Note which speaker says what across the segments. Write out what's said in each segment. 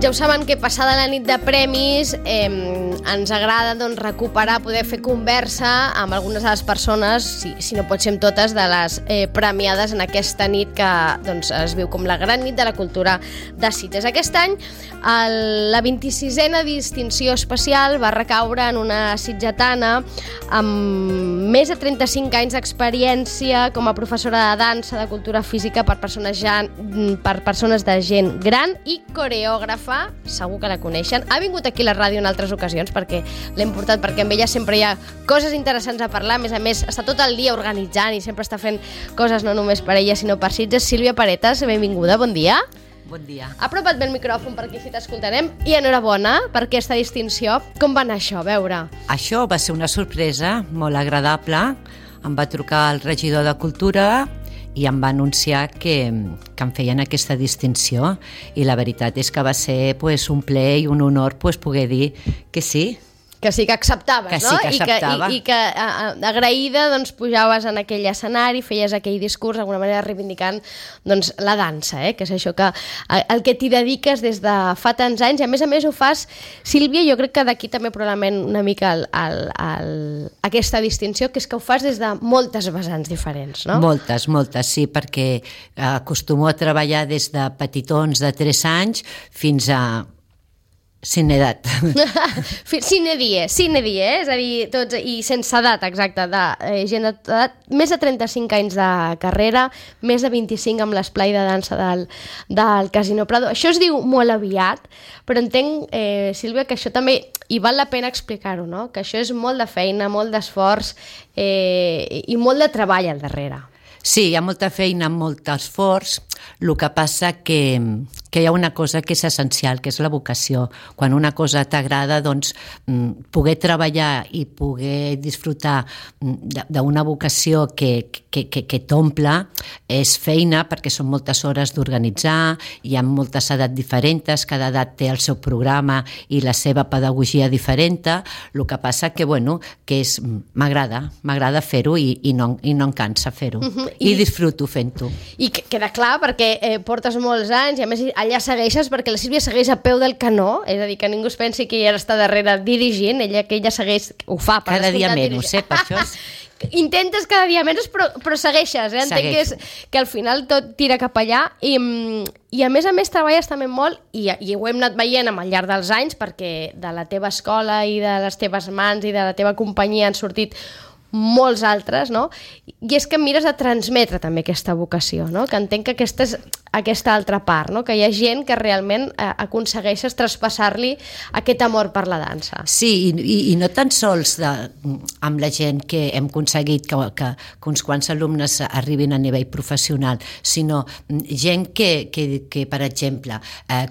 Speaker 1: Ja ho saben que passada la nit de premis ens agrada recuperar, poder fer conversa amb algunes de les persones, si no pot ser amb totes, de les premiades en aquesta nit que es viu com la gran nit de la cultura de Sitges. Aquest any la 26a distinció especial va recaure en una sitgetana amb més de 35 anys d'experiència com a professora de dansa, de cultura física per persones de gent gran i coreògrafa. Segur que la coneixen. Ha vingut aquí a la ràdio en altres ocasions perquè l'hem portat, perquè amb ella sempre hi ha coses interessants a parlar. A més, està tot el dia organitzant i sempre està fent coses no només per ella, sinó per Sitges. Sílvia Paretas, benvinguda, bon dia.
Speaker 2: Bon dia.
Speaker 1: Apropa't bé el micròfon perquè així t'escoltarem. I enhorabona per aquesta distinció. Com va anar això, a veure?
Speaker 2: Això va ser una sorpresa molt agradable. Em va trucar el regidor de Cultura i em va anunciar que em feien aquesta distinció, i la veritat és que va ser un plaer i un honor poder dir que sí.
Speaker 1: Que sí que acceptaves,
Speaker 2: que
Speaker 1: no?
Speaker 2: Sí que acceptava.
Speaker 1: I que agraïda pujaves en aquell escenari, feies aquell discurs, d'alguna manera reivindicant la dansa, que és això que el que t'hi dediques des de fa tants anys, i a més ho fas, Sílvia, jo crec que d'aquí també probablement una mica aquesta distinció, que és que ho fas des de moltes vessants diferents, no?
Speaker 2: Moltes, sí, perquè acostumo a treballar des de petitons de 3 anys fins a sin edat.
Speaker 1: Sin die, és a dir, tots, i sense edat, exacte, de gent d'edat, més de 35 anys de carrera, més de 25 amb l'esplai de dansa del Casino Prado. Això es diu molt aviat, però entenc, Sílvia, que això també, i val la pena explicar-ho, no? Que això és molt de feina, molt d'esforç i molt de treball al darrere.
Speaker 2: Sí, hi ha molta feina, molt esforç. El que passa que hi ha una cosa que és essencial, que és la vocació. Quan una cosa t'agrada, poder treballar i poder disfrutar d'una vocació que t'omple és feina, perquè són moltes hores d'organitzar, hi ha moltes edats diferents, cada edat té el seu programa i la seva pedagogia diferent. El que passa que m'agrada fer-ho i no em cansa fer-ho. I disfruto fent-ho.
Speaker 1: I queda clar perquè portes molts anys i a més allà segueixes, perquè la Sílvia segueix a peu del canó, és a dir, que ningú es pensi que ella està darrere dirigint, que ella segueix, ho fa per
Speaker 2: cada dia menys, per això és...
Speaker 1: Intentes cada dia menys, però segueixes, entenc que al final tot tira cap allà i a més treballes també molt i ho hem anat veient al llarg dels anys, perquè de la teva escola i de les teves mans i de la teva companyia han sortit molts altres, no? I és que mires a transmetre també aquesta vocació, no? Que entenc que aquesta és aquesta altra part, no? Que hi ha gent que realment aconsegueixes traspassar-li aquest amor per la dansa.
Speaker 2: Sí, i no tan sols amb la gent que hem aconseguit que uns quants alumnes arribin a nivell professional, sinó gent que per exemple,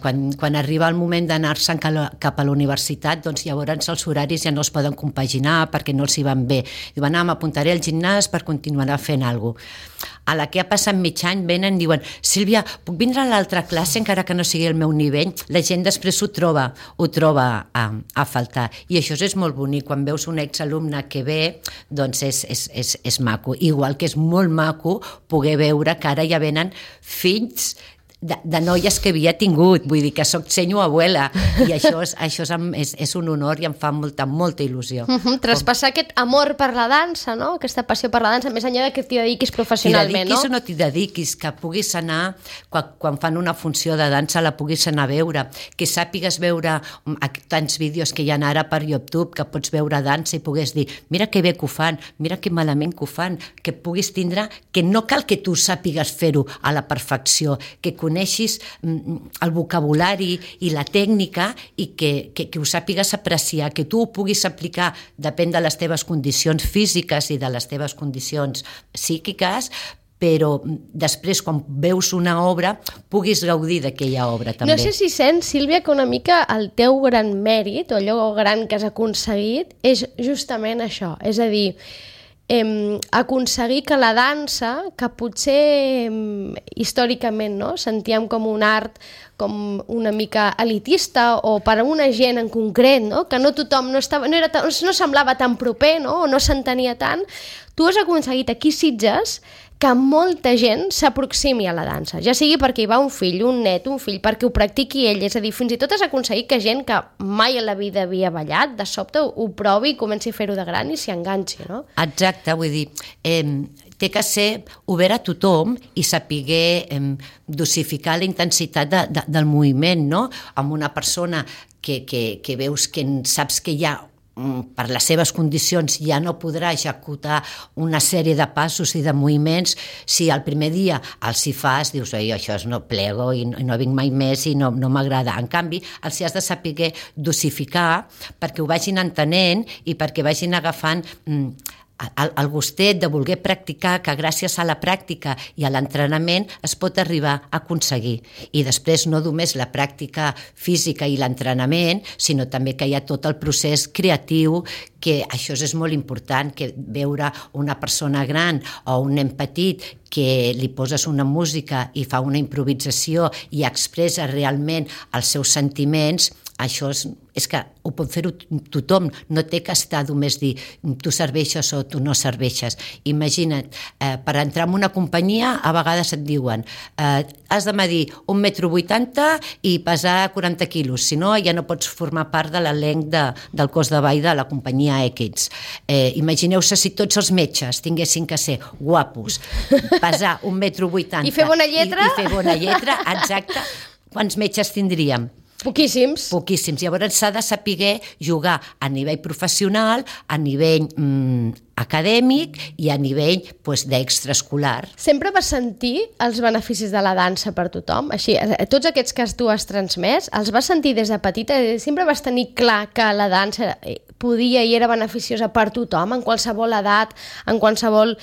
Speaker 2: quan arriba el moment d'anar-se'n cap a la universitat, doncs llavors els horaris ja no es poden compaginar perquè no els hi van bé. Diuen, m'apuntaré al gimnàs per continuar fent alguna cosa. A la que ha passat mig any venen i diuen, Sílvia, puc vindre a l'altra classe encara que no sigui el meu nivell? La gent després ho troba a faltar. I això és molt bonic. Quan veus un exalumne que ve, doncs és maco. Igual que és molt maco poder veure que ara ja venen fills de noies que havia tingut, vull dir que soc senyo abuela, i això és un honor i em fa molta il·lusió.
Speaker 1: Traspassar aquest amor per la dansa, no? Aquesta passió per la dansa, més enllà que t'hi dediquis professionalment, no?
Speaker 2: T'hi dediquis o no t'hi dediquis, que puguis anar, quan fan una funció de dansa la puguis anar a veure, que sàpigues veure tants vídeos que hi ha ara per YouTube, que pots veure dansa i puguis dir, mira que bé que ho fan, mira que malament que ho fan, que puguis tindre, que no cal que tu sàpigues fer-ho a la perfecció, que coneixis el vocabulari i la tècnica i que ho sàpigues apreciar, que tu ho puguis aplicar, depèn de les teves condicions físiques i de les teves condicions psíquiques, però després, quan veus una obra, puguis gaudir d'aquella obra també.
Speaker 1: No sé si sents, Sílvia, que una mica el teu gran mèrit, o allò gran que has aconseguit, és justament això, és a dir, aconseguir que la dansa, que potser històricament sentíem com un art com una mica elitista o per a una gent en concret, no? Que no tothom no semblava tan proper, no? O no s'entenia tant. Tu has aconseguit aquí a Sitges que molta gent s'aproximi a la dansa, ja sigui perquè hi va un fill, un net, un fill, perquè ho practiqui ell, és a dir, fins i tot has aconseguit que gent que mai a la vida havia ballat, de sobte ho provi i comenci a fer-ho de gran i s'hi enganxi, no?
Speaker 2: Exacte, vull dir, té que ser obert a tothom i saber dosificar la intensitat del moviment, no? Amb una persona que veus que saps que hi ha per les seves condicions ja no podrà executar una sèrie de passos i de moviments, si el primer dia els hi fas, dius, això no plego i no vinc mai més i no m'agrada. En canvi, els hi has de saber dosificar perquè ho vagin entenent i perquè vagin agafant el gustet de voler practicar, que gràcies a la pràctica i a l'entrenament es pot arribar a aconseguir. I després no només la pràctica física i l'entrenament, sinó també que hi ha tot el procés creatiu, que això és molt important, que veure una persona gran o un nen petit que li poses una música i fa una improvisació i expressa realment els seus sentiments, això és que ho pot fer tothom, no té que estar només dir tu serveixes o tu no serveixes. Imagina't, per entrar en una companyia a vegades et diuen has de medir 1,80 m i pesar 40 quilos, si no ja no pots formar part de l'elenc del cos de ball de la companyia X. Imagineu-se si tots els metges tinguessin que ser guapos, pesar 1,80 m
Speaker 1: i fer bona lletra,
Speaker 2: i fer bona lletra, exacte, quants metges tindríem?
Speaker 1: Poquíssims.
Speaker 2: Poquíssims. Llavors s'ha de saber jugar a nivell professional, a nivell acadèmic i a nivell d'extraescolar.
Speaker 1: Sempre vas sentir els beneficis de la dansa per tothom? Així, tots aquests que tu has transmès, els vas sentir des de petita? Sempre vas tenir clar que la dansa podia i era beneficiosa per tothom, en qualsevol edat, en qualsevol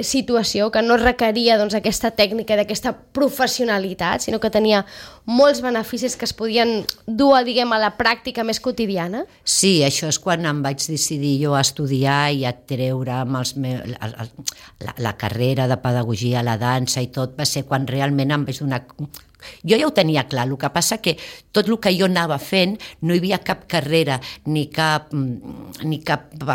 Speaker 1: situació, que no requeria aquesta tècnica, d'aquesta professionalitat, sinó que tenia molts beneficis que es podien dur a la pràctica més quotidiana?
Speaker 2: Sí, això és quan em vaig decidir jo a estudiar i a treure la carrera de pedagogia a la dansa i tot, va ser quan realment em vaig donar... Jo ja ho tenia clar, el que passa que tot el que jo anava fent no hi havia cap carrera ni cap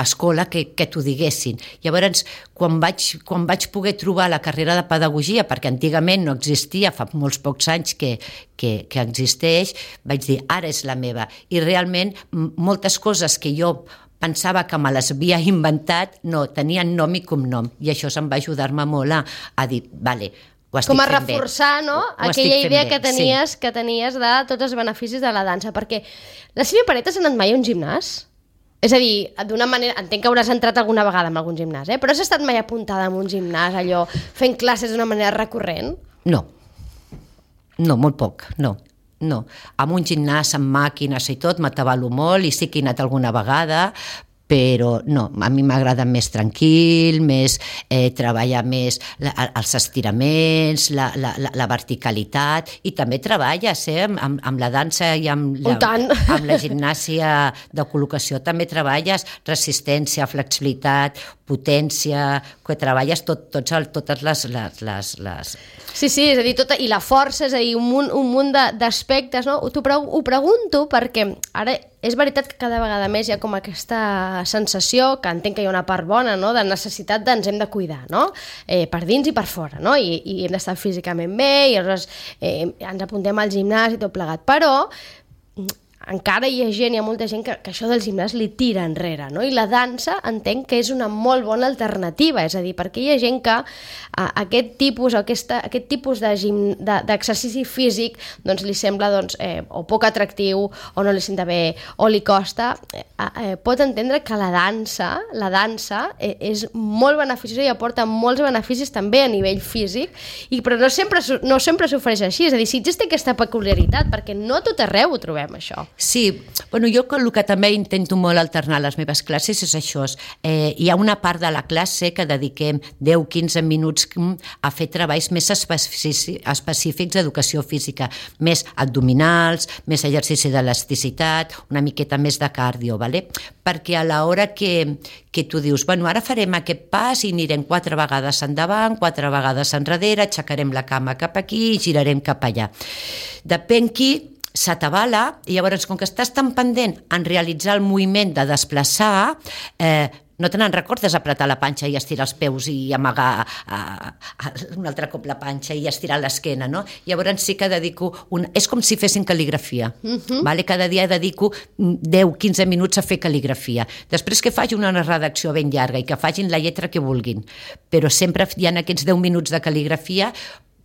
Speaker 2: escola que t'ho diguessin. Llavors, quan vaig poder trobar la carrera de pedagogia, perquè antigament no existia, fa molts pocs anys que existeix, vaig dir, ara és la meva. I realment moltes coses que jo pensava que me les havia inventat, no, tenien nom i cognom, i això em va ajudar-me molt a dir, vale,
Speaker 1: com a reforçar, no? Aquella idea que tenies de tots els beneficis de la dansa, perquè la Sílvia Paretas ha anat mai a un gimnàs? És a dir, d'una manera, entenc que hauràs entrat alguna vegada en algun gimnàs, però has estat mai apuntada en un gimnàs, allò, fent classes d'una manera recurrent?
Speaker 2: No, molt poc, no. Amb un gimnàs, amb màquines i tot, m'atabalo molt i sí que he anat alguna vegada, però no, a mi m'agrada més tranquil, més treballar més els estiraments, la verticalitat, i també treballes amb la dansa i amb la gimnàsia de col·locació, també treballes resistència, flexibilitat, potència, que treballes totes les...
Speaker 1: Sí, és a dir, i la força, és a dir, un munt d'aspectes, no? Ho pregunto perquè ara és veritat que cada vegada més hi ha com aquesta sensació, que entenc que hi ha una part bona, no?, de necessitat ens hem de cuidar, no?, per dins i per fora, no?, i hem d'estar físicament bé, i aleshores ens apuntem al gimnàs i tot plegat, però encara hi ha molta gent que això del gimnàs li tira enrere, no? I la dansa entenc que és una molt bona alternativa, és a dir, perquè hi ha gent que aquest tipus d'exercici físic doncs li sembla o poc atractiu, o no li senta bé, o li costa, pot entendre que la dansa és molt beneficiosa i aporta molts beneficis també a nivell físic, però no sempre s'ofereix així, és a dir, Sitges té aquesta peculiaritat, perquè no a tot arreu ho trobem, això.
Speaker 2: Sí, bueno, jo el que també intento molt alternar a les meves classes és això. Hi ha una part de la classe que dediquem 10-15 minuts a fer treballs més específics d'educació física, més abdominals, més exercici d'elasticitat, una miqueta més de cardio, ¿vale? Perquè a l'hora que tu dius, bueno, ara farem aquest pas i anirem 4 vegades endavant, 4 vegades enrere, aixecarem la cama cap aquí i girarem cap allà. Depèn qui s'atabala, i llavors, com que estàs tan pendent en realitzar el moviment de desplaçar, no te n'en recordes apretar la panxa i estirar els peus i amagar un altre cop la panxa i estirar l'esquena, no? Llavors sí que dedico... És com si fessin cal·ligrafia, vale? Cada dia dedico 10-15 minuts a fer cal·ligrafia. Després que faci una redacció ben llarga i que facin la lletra que vulguin, però sempre hi ha aquests 10 minuts de cal·ligrafia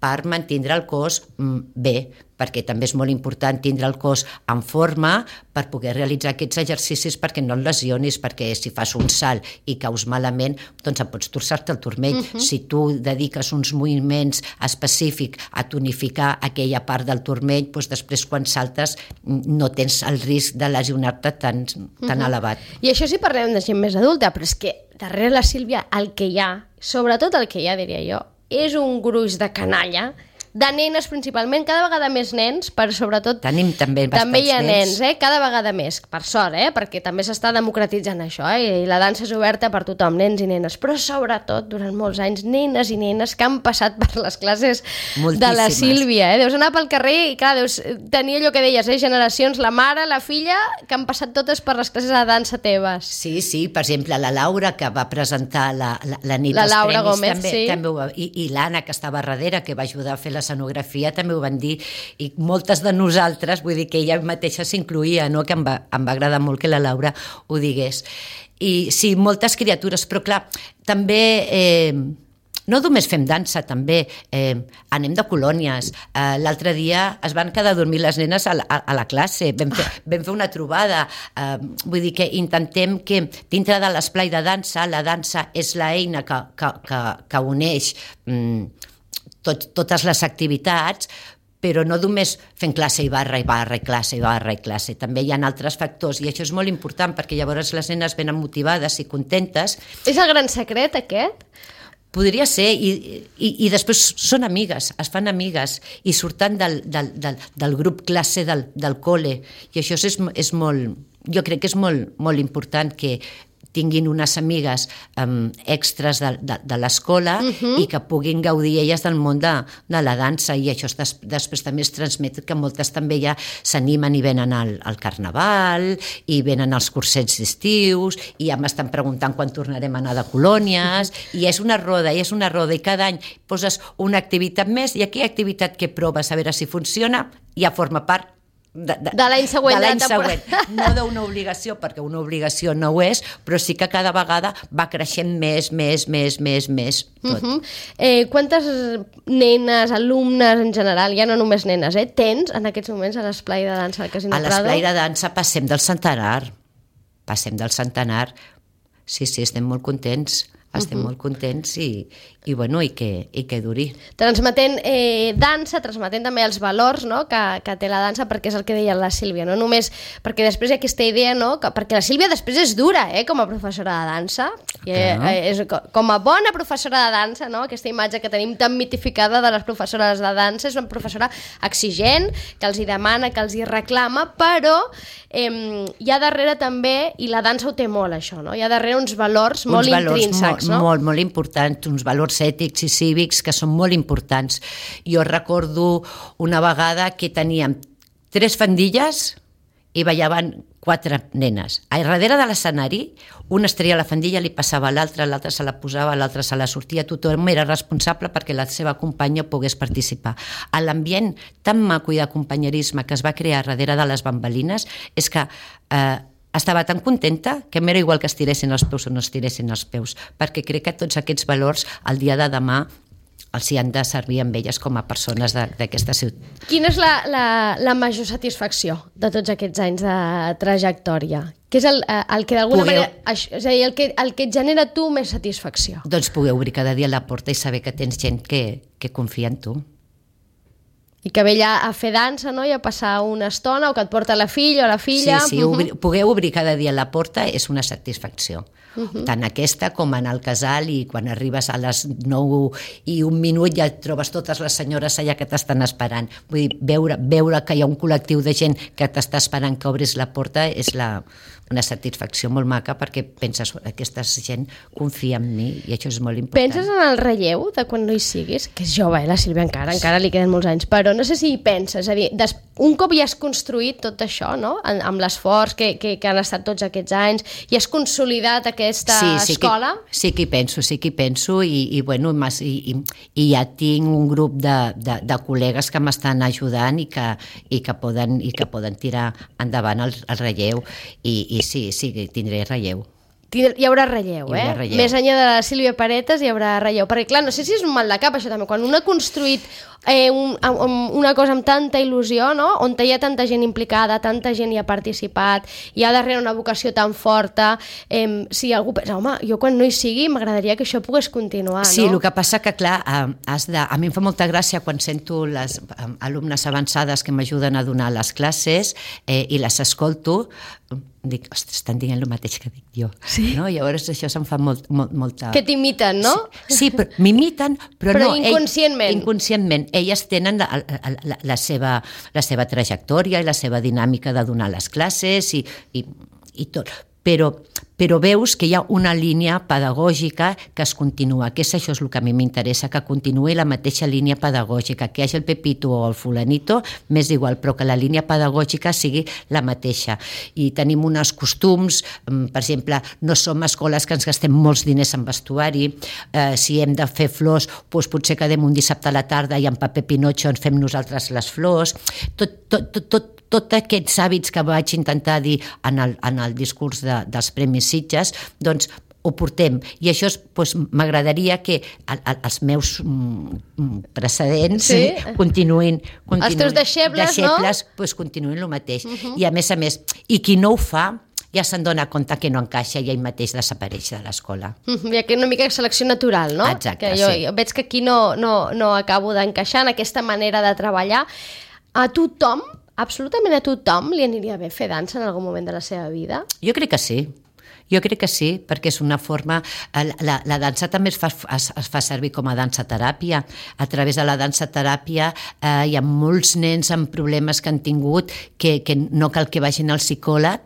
Speaker 2: per mantindre el cos bé, perquè també és molt important tindre el cos en forma per poder realitzar aquests exercicis perquè no et lesionis, perquè si fas un salt i caus malament, doncs et pots torçar-te el turmell. Si tu dediques uns moviments específics a tonificar aquella part del turmell, doncs després quan saltes no tens el risc de lesionar-te tan elevat.
Speaker 1: I això si parlem de gent més adulta, però és que darrere la Sílvia el que hi ha, sobretot el que hi ha, diria jo, és un gruix de canalla, de nenes principalment, cada vegada més nens, però sobretot
Speaker 2: tenim també
Speaker 1: hi ha nens, cada vegada més, per sort, perquè també s'està democratitzant això, i la dansa és oberta per tothom, nens i nenes, però sobretot durant molts anys nenes i nenes que han passat per les classes de la Sílvia, deus anar pel carrer i clar, deus tenir allò que deies, generacions, la mare, la filla, que han passat totes per les classes de dansa teves.
Speaker 2: Sí, per exemple, la Laura, que va presentar la nit dels
Speaker 1: Laura
Speaker 2: premis,
Speaker 1: Gómez,
Speaker 2: també ho va, i l'Anna, que estava darrere, que va ajudar a fer l'escenografia, també ho van dir, i moltes de nosaltres, vull dir que ella mateixa s'incluïa, no? Que em va agradar molt que la Laura ho digués. I sí, moltes criatures, però clar, també... No només fem dansa, també anem de colònies. L'altre dia es van quedar a dormir les nenes a la classe, vam fer una trobada. Vull dir que intentem que dintre de l'esplai de dansa, la dansa és l'eina que uneix totes les activitats, però no només fent classe i barra, classe i barra i classe. També hi ha altres factors i això és molt important perquè llavors les nenes venen motivades i contentes.
Speaker 1: És el gran secret, aquest?
Speaker 2: Podria ser, i després són amigues, es fan amigues i surten del grup classe del col·le, i això és molt, jo crec que és molt important que tinguin unes amigues extres de l'escola i que puguin gaudir elles del món de la dansa, i això després també es transmet que moltes també ja s'animen i venen al carnaval i venen als cursets d'estius i ja m'estan preguntant quan tornarem a anar de colònies, i és una roda i cada any poses una activitat més i aquella activitat que proves a veure si funciona ja forma part de
Speaker 1: l'any següent.
Speaker 2: No d'una obligació, perquè una obligació no ho és, però sí que cada vegada va creixent més tot.
Speaker 1: Quantes nenes, alumnes en general, ja no només nenes, tens en aquests moments a l'esplai de dansa del Casino Prado?
Speaker 2: A l'esplai de dansa passem del centenar. Sí, estem molt contents. Molt contents i que duri.
Speaker 1: Transmetent dansa, transmetent també els valors, no? que té la dansa, perquè és el que deia la Sílvia, no només perquè després hi ha aquesta idea, no? Perquè la Sílvia després és dura com a professora de dansa, com a bona professora de dansa, no? Aquesta imatge que tenim tan mitificada de les professores de dansa, és una professora exigent, que els hi demana, que els hi reclama, però hi ha darrere també, i la dansa ho té molt això, no? Hi ha darrere uns valors molt intrínsecs, no?
Speaker 2: Molt importants, uns valors ètics i cívics que són molt importants. Jo recordo una vegada que teníem 3 faldilles i ballaven 4 nenes. A darrere de l'escenari, una es treia la faldilla, li passava a l'altra se la posava, l'altra se la sortia, tothom era responsable perquè la seva companya pogués participar. A l'ambient tan maco i de companyerisme que es va crear darrere de les bambalines és que estava tan contenta que m'era igual que estiressin els peus o no estiressin els peus, perquè crec que tots aquests valors el dia de demà els hi han de servir amb elles com a persones d'aquesta ciutat.
Speaker 1: Quina és la major satisfacció de tots aquests anys de trajectòria? Què és el que d'alguna manera... És a dir, el que et genera tu més satisfacció?
Speaker 2: Doncs poder obrir cada dia la porta i saber que tens gent que confia en tu.
Speaker 1: I que ve allà a fer dansa, no?, i a passar una estona, o que et porta la filla o la filla.
Speaker 2: Sí, poder obrir cada dia la porta és una satisfacció. Tant aquesta com anar al casal, i quan arribes a les 9:01 ja et trobes totes les senyores allà que t'estan esperant. Vull dir, veure que hi ha un col·lectiu de gent que t'està esperant que obris la porta és una satisfacció molt maca, perquè penses, aquesta gent confia en mi, i això és molt important.
Speaker 1: Penses en el relleu de quan no hi siguis? Que és jove, la Sílvia encara li queden molts anys, però no sé si hi penses, és a dir, un cop ja has construït tot això, no?, amb l'esforç que han estat tots aquests anys, i has consolidat aquesta escola?
Speaker 2: Sí que hi penso, i bueno, i ja tinc un grup de col·legues que m'estan ajudant i que poden tirar endavant el relleu, i sí, tindré relleu.
Speaker 1: Hi haurà relleu,
Speaker 2: relleu.
Speaker 1: Més enllà de la Sílvia Paretes hi haurà relleu, perquè clar, no sé si és un mal de cap això també, quan un ha construït una cosa amb tanta il·lusió, no?, on hi ha tanta gent implicada, tanta gent hi ha participat, hi ha darrere una vocació tan forta, si algú pensa, home, jo quan no hi sigui m'agradaria que això pogués continuar, no?
Speaker 2: Sí, el que passa que clar, a mi em fa molta gràcia quan sento les alumnes avançades que m'ajuden a donar les classes i les escolto, dic, ostres, estan dient el mateix que dic jo.
Speaker 1: Sí?
Speaker 2: No? Llavors això se'm fa molta...
Speaker 1: Que t'imiten, no?
Speaker 2: Sí, m'imiten, però no...
Speaker 1: inconscientment.
Speaker 2: Inconscientment. Elles tenen la seva trajectòria i la seva dinàmica de donar les classes i tot. Però veus que hi ha una línia pedagògica que es continua, que això és el que a mi m'interessa, que continuï la mateixa línia pedagògica, que hi hagi el Pepito o el fulanito, m'és igual, però que la línia pedagògica sigui la mateixa. I tenim uns costums, per exemple, no som escoles que ens gastem molts diners en vestuari, si hem de fer flors, doncs potser quedem un dissabte a la tarda i en paper Pinotxo ens fem nosaltres les flors, tots aquests hàbits que vaig intentar dir en el discurs dels Premis Sitges, doncs ho portem, i això m'agradaria que els meus precedents continuïn.
Speaker 1: Els teus deixebles, no?
Speaker 2: Continuïn el mateix. I a més, i qui no ho fa, ja se'n dona compte que no encaixa i ell mateix desapareix de l'escola.
Speaker 1: Hi ha una mica de selecció natural, no?
Speaker 2: Exacte,
Speaker 1: jo veig que aquí no acabo d'encaixar en aquesta manera de treballar. A tothom, absolutament a tothom, li aniria bé fer dansa en algun moment de la seva vida?
Speaker 2: Jo crec que sí, perquè és una forma... La dansa també es fa servir com a dansa-teràpia. A través de la dansa-teràpia hi ha molts nens amb problemes que han tingut que no cal que vagin al psicòleg,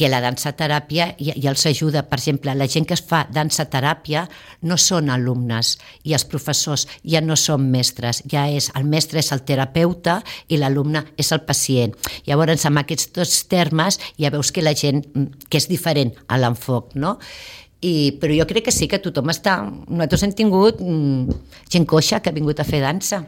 Speaker 2: que la dansa-teràpia ja els ajuda. Per exemple, la gent que es fa dansa-teràpia no són alumnes, i els professors ja no són mestres, el mestre és el terapeuta i l'alumne és el pacient. Llavors, amb aquests dos termes ja veus que la gent, que és diferent a l'enfoc, no? Però jo crec que sí, que tothom està... Nosaltres hem tingut gent coixa que ha vingut a fer dansa.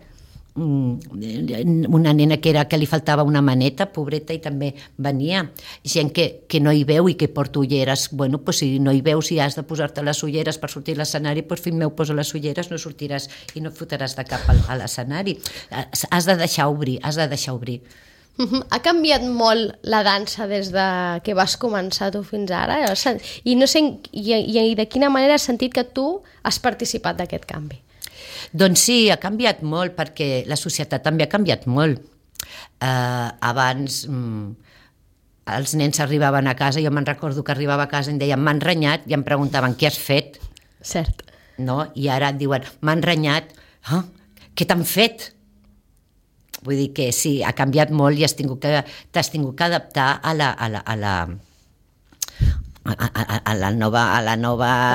Speaker 2: Una nena que li faltava una maneta, pobreta, i també venia. Gent que no hi veu i que porta ulleres. Bueno, doncs si no hi veus i has de posar-te les ulleres per sortir a l'escenari, doncs fill meu, posa les ulleres, no sortiràs i no fotràs de cap a l'escenari. Has de deixar obrir.
Speaker 1: Ha canviat molt la dansa des de que vas començar tu fins ara? I no sé, i de quina manera has sentit que tu has participat d'aquest canvi?
Speaker 2: Doncs sí, ha canviat molt, perquè la societat també ha canviat molt. Abans els nens arribaven a casa, jo me'n recordo que arribava a casa i em deien m'han renyat, i em preguntaven què has fet.
Speaker 1: Cert.
Speaker 2: No? I ara et diuen m'han renyat, què t'han fet? Vull dir que sí, ha canviat molt i t'has tingut que adaptar a la nova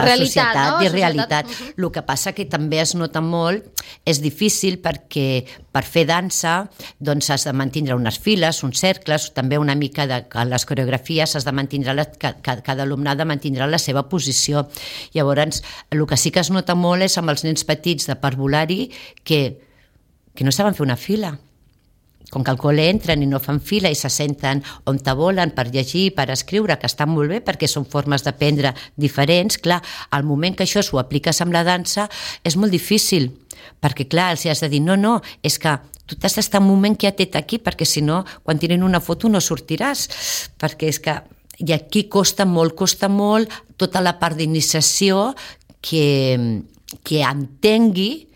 Speaker 1: realitat,
Speaker 2: societat i realitat. El que passa que també es nota molt, és difícil perquè per fer dansa doncs has de mantenir unes files, uns cercles, també una mica de les coreografies has de mantenir, cada alumne ha de mantenir la seva posició. Llavors, el que sí que es nota molt és amb els nens petits de parvulari que no saben fer una fila. Com que al col·le entren i no fan fila i se senten on te volen per llegir, per escriure, que estan molt bé perquè són formes d'aprendre diferents, clar, al moment que això s'ho apliques amb la dansa és molt difícil, perquè clar, els has de dir no, és que tu t'has d'estar un moment quietet aquí, perquè si no, quan tiren una foto no sortiràs, perquè és que i aquí costa molt tota la part d'iniciació que entengui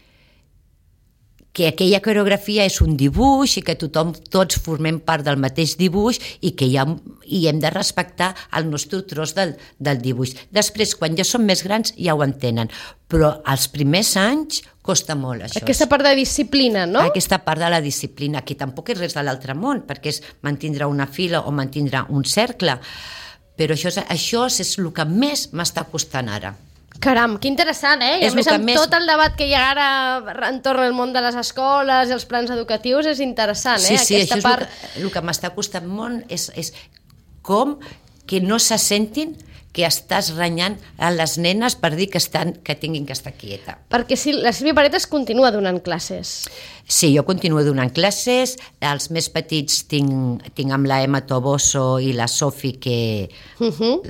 Speaker 2: que aquella coreografia és un dibuix i que tots formem part del mateix dibuix i que hem de respectar el nostre tros del dibuix. Després, quan ja són més grans, ja ho entenen, però els primers anys costa molt això.
Speaker 1: Aquesta part de disciplina, no?
Speaker 2: Aquesta part de la disciplina, que tampoc és res de l'altre món, perquè és mantindre una fila o mantindre un cercle, però això és el que més m'està costant ara.
Speaker 1: Caram, que interessant, I a més amb tot el debat que hi ha ara entorn al món de les escoles i els plans educatius és interessant,
Speaker 2: Sí,
Speaker 1: aquesta
Speaker 2: això
Speaker 1: part...
Speaker 2: és el que m'està costant molt, és com que no se sentin que estàs renyant a les nenes per dir que tinguin que estar quieta.
Speaker 1: Perquè la Sílvia Paretas continua donant classes.
Speaker 2: Sí, jo continuo donant classes, els més petits tinc amb la Emma Toboso i la Sofi que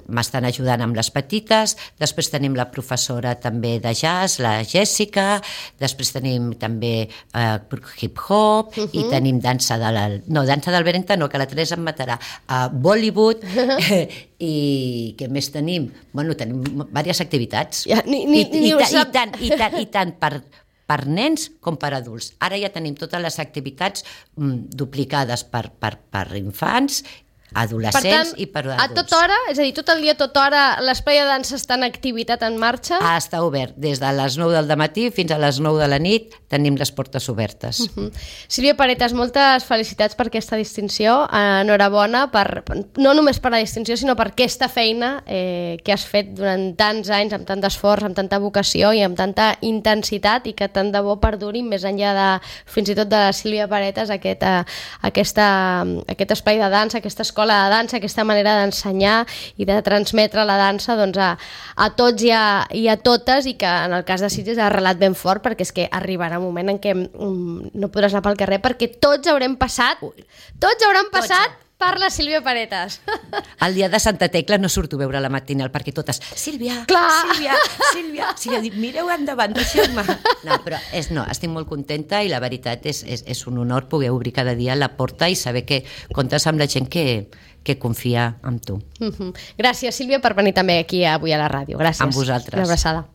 Speaker 2: m'estan ajudant amb les petites, després tenim la professora també de jazz, la Jèssica, després tenim també hip-hop i tenim dansa del Berenta no, que la Teresa em matarà, Bollywood i què més tenim? Bueno, tenim diverses activitats i tant per nens com per adults. Ara ja tenim totes les activitats duplicades per infants, adolescents i per adults.
Speaker 1: A tota hora, és a dir, tot el dia, a tota hora, l'espai de dansa està en activitat, en marxa?
Speaker 2: Està obert. Des de les 9 del matí fins a les 9 de la nit tenim les portes obertes.
Speaker 1: Sílvia Paretas, moltes felicitats per aquesta distinció. Enhorabona, no només per la distinció, sinó per aquesta feina que has fet durant tants anys, amb tant d'esforç, amb tanta vocació i amb tanta intensitat, i que tant de bo perduri més enllà de, fins i tot de la Sílvia Paretas, aquest espai de dansa, aquesta escola de dansa, aquesta manera d'ensenyar i de transmetre la dansa a tots i a totes, i que en el cas de Sitges ha arrelat ben fort, perquè és que arribarà un moment en què no podràs anar pel carrer perquè tots hauran passat per la Sílvia Paretas.
Speaker 2: El dia de Santa Tecla no surto a veure la matinal perquè totes, Sílvia, mireu endavant, deixeu-me. No, però estic molt contenta i la veritat és un honor poder obrir cada dia la porta i saber que comptes amb la gent que confia en tu.
Speaker 1: Gràcies, Sílvia, per venir també aquí avui a la ràdio. Gràcies.
Speaker 2: Amb vosaltres.
Speaker 1: Una abraçada.